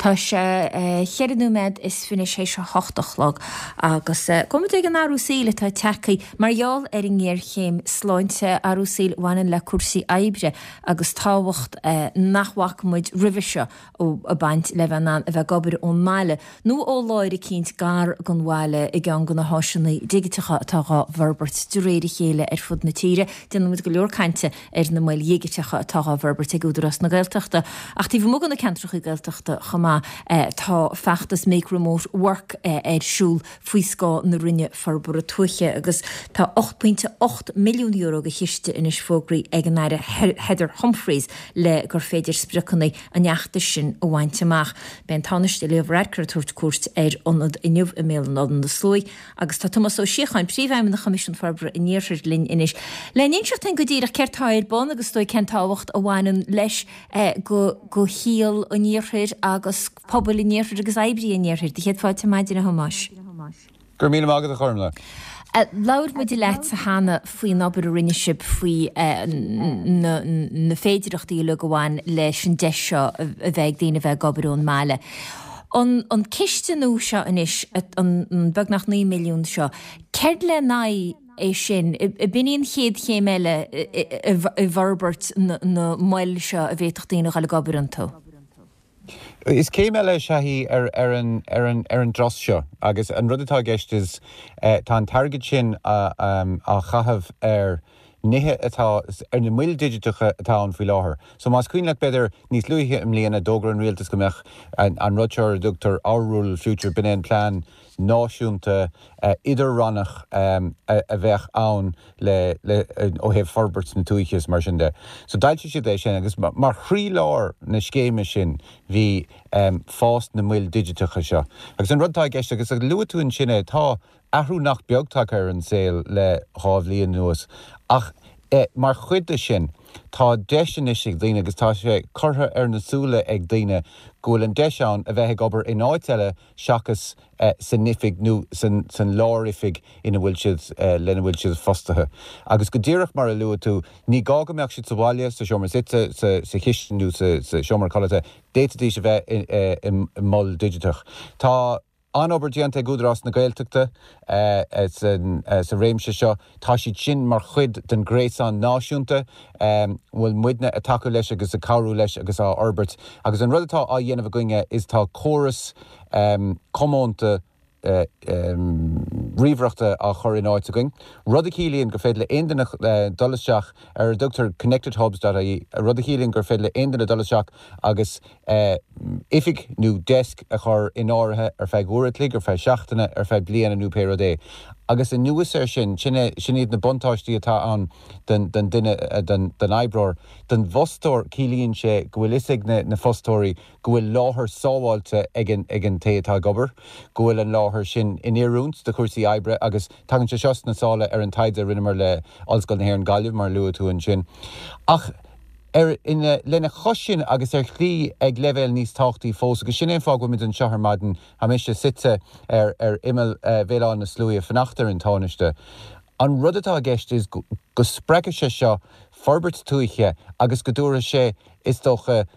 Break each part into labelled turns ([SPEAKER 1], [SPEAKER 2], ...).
[SPEAKER 1] Tá sé cheithre nóiméad is fiche théis a hocht a chlog agus gabhfaidh muid ag an athrú saoil atá tagtha mar gheall ar an ngéarchéim sláinte, athrú saoil a bhaineann le cúrsaí oibre agus tábhacht nach bhfaca muid roimhe seo ag baint le bheith in ann a bheith ag obair ón mbaile nó ó láthair eicínt gar don bhaile i gceann de na háiseanna digiteacha atá dhá bhforbairt de réir a chéile ar fud na tíre. Déanann muid go leor cainte ar na moil dhigiteacha atá dhá bhforbairt ag Údarás na Gaeltachta. Ach taobh amuigh de na ceantracha Gaeltachta chomh maith, tá feachtas Make Remote Work ar siúl faoi scáth na Roinne Forbartha Tuaithe agus tá €8.8 milliún de chiste anois fógraithe ag an Aire Heather Humphreys le gur féidir spriocanna an fheachtais sin a bhaint amach. Beidh an Tánaiste Leo Varadkar ag tabhairt cuairt ar ionad inniu i mBéal Átha na Sluaighe Agus tá Tomás Ó Síocháin, Príomhfheidhmeannach Choimisiún Forbartha an Iarthair linn anois. Le n-inseacht dúinn go díreach céard tá ar bun agus is dóigh cén tábhacht a bhaineann leis go go shaol an Iarthair agus pobail an Iarthair agus oibrithe an Iarthair. Do chéad fáilte ar maidin a Thomáis.
[SPEAKER 2] Go raibh míle maith agat a Ghormlaith.
[SPEAKER 1] Labhair muid leatsa cheana faoin obair a rinne sibh faoi na féidireachtaí uilig a bhain leis an deis seo a bheith ag daoine a bheith ag obair ón mbaile. An ciste nua seo anois, an beagnach 9 milliún seo, céard lena aghaidh é sin? B'in í an chéad chéim eile i bhforbairt na moil seo a bhféadfadh daoine a dhul ag obair iontu?
[SPEAKER 2] Is céim eile is ea í ar an dturas seo agus an rud atá i gceist is tá an t-airgead sin á chaitheamh ar nithe atá ar na moil digiteacha atá ann faoi láthair. So más cuimhin leat b'fhéidir níos luaithe i mbliana d'fhógair an rialtas go mbeadh an rud seo ar a dtugtar Our Rural Future, b'in é an plean náisiúnta idir-rannach a bheadh ann le le ó thaobh forbairt na tuaithe is mar sin de. So d'fhoilsigh siad é sin agus mar chroílár na scéime sin bhí fás na moil digiteacha seo. Agus an rud atá i gceist agus luaigh tú ansin é, tá athrú nach beag tagtha ar an saol le 2 bhliain anuas ach mar chuid de sin tá deis anois ag daoine agus tá sé curtha ar na súile ag daoine go bhfuil an deis ann a bheith ag obair in áit eile seachas san oifig nó san lár-oifig ina bhfuil siad, lena bhfuil siad fostaithe. Agus go díreach mar a luaigh tú, ní gá go mbeadh siad sa bhaile, sa seomra suite, sa chistin nó sa seomra codlata, d'fhéadfaidís a bheith i mol digiteach. Tá. An-obair déanta ag Údarás na Gaeltachta sa réimse seo. Tá siad sin mar chuid den ghréasán náisiúnta a bhfuil muidne ag tacú leis agus ag cabhrú leis agus á fhorbairt. Agus an rud atá á dhéanamh againne is tá córas comónta ríomhaireachta á chur in áit againn, rud a chiallaíonn gur féidir le aon duine dul isteach ar a dtugtar connectedhubs.ie, rud a chiallaíonn gur féidir le aon duine dul isteach agus oifig nó deisc a chur in áirithe ar feadh uair a chloig, ar feadh seachtaine, ar feadh bliana nó pé rud é. Agus anuas air sin, sin é, sin iad na buntáistí atá ann don, don duine, don, don oibreoir. Don bhfostóir, ciallaíonn sé go bhfuil fhios ag na, na fostóirí go bhfuil láthair sábháilte ag an, ag an té atá ag obair, go bhfuil an láthair sin in oiriúint do chúrsaí oibre agus tagann sé seo sna sála ar an taighde a rinneamar le Ollscoil na hÉireann Gaillimh, mar a luaigh tú ansin. Ach. Ar, ina, lena chois sin agus ar shlí ag leibhéal níos tábhachtaí fós, agus sin é an fáth go bhfuil muid anseo ar maidin, tá mise suite ar, ar imeall Bhéal Átha na Sluaighe ag fanacht ar an Tánaiste, an rud atá i gceist is go, go spreagfaidh sé seo forbairt tuaithe agus go dtabharfaidh sé, is dócha,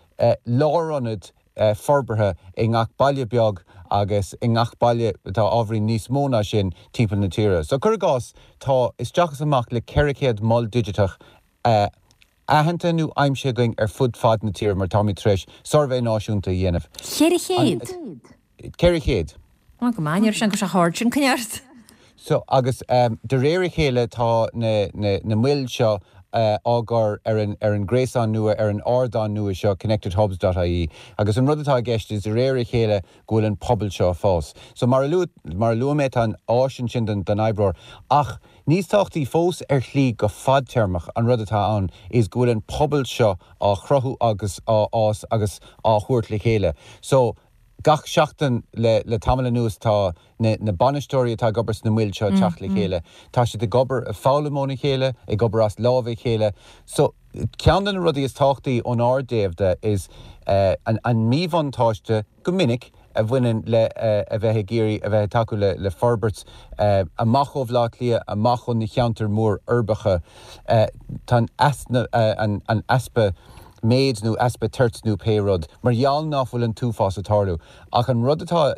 [SPEAKER 2] lárionad forbartha i ngach baile beag agus i ngach baile atá ábhairín níos mó ná sin timpeall na tíre. So cuir i gcás, tá isteach is amach le 400 mol digiteach aitheanta nó aimsithe againn ar fud fad na tíre mar táimid tar éis suirbhé náisiúnta a dhéanamh.
[SPEAKER 1] 400?
[SPEAKER 2] 400.
[SPEAKER 1] Ó, go maith, ní raibh sé chomh hard sin, coinnigh ort.
[SPEAKER 2] So, agus de réir a chéile tá na, na, na moil seo á gcur ar an, ar an gréasán nua, ar an ardán nua seo, connectedhubs.ie, agus an rud atá i gceist is de réir a chéile go bhfuil an pobal seo ag fás. So, mar a luaigh, mar a luaigh mé, tá an áis ansin don, don oibreoir ach Níos tábhachtaí fós ar shlí go fadtéarmach an rud atá ann is go bhfuil an pobal seo á chruthú agus á fhás agus á thabhairt le chéile. So, gach seachtain le le tamall anuas tá na na bainisteoirí atá ag obair sna moil seo ag teacht le chéile. Tá siad ag obair, ag foghlaim óna chéile, ag obair as lámha a chéile. So, ceann de na rudaí is tábhachtaí ónár dtaobh de is an an míbhuntáiste, go minic, a bhaineann le a bheith ag iarraidh a bheith ag tacú le forbairt amach ó Bhaile Átha Cliath, amach ó na cheantair mór uirbeacha. Tá an easpa. méid nó easpa toirt nó pé rud, mar gheall ná fuil an t-uafás ag tarlú. Ach an rud atá,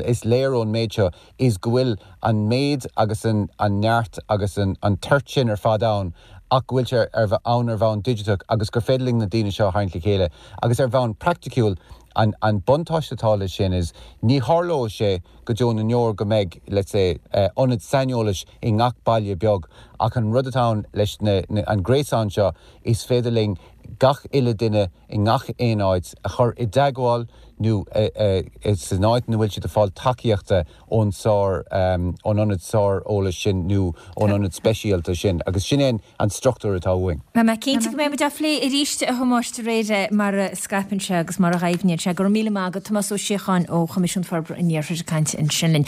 [SPEAKER 2] is léir ón méid seo is go bhfuil an méid agus an neart agus an toirt sin ar fad ann ach go bhfuil sé ar ann ar bhonn digiteach agus gur féidir linn na daoine seo a tharraingt le chéile. Agus ar bhonn praiticiúil, an an buntáiste atá leis sin is ní tharlóidh sé go deo na ndeor go mbeidh, let's say, ionad saineolais i ngach baile beag ach an rud atá ann leis na an gréasán seo is féidir linn gach uile duine i ngach aon áit a chur i dteagmháil nó san áit ina bhfuil siad ag fáil tacaíochta ón sár, ón ionad sáreolais sin nó ón ionad speisialta sin agus sin é an struchtúr atá uainn.
[SPEAKER 1] Beidh mé cinnte go mbeidh muid á phlé arís a Thomáis de réir mar a scaipeann sé agus mar a dhoimhníonn sé. Go raibh míle maith agat, Tomás Ó Síocháin ó Choimisiún Forbartha an Iarthair ag caint ansin linn.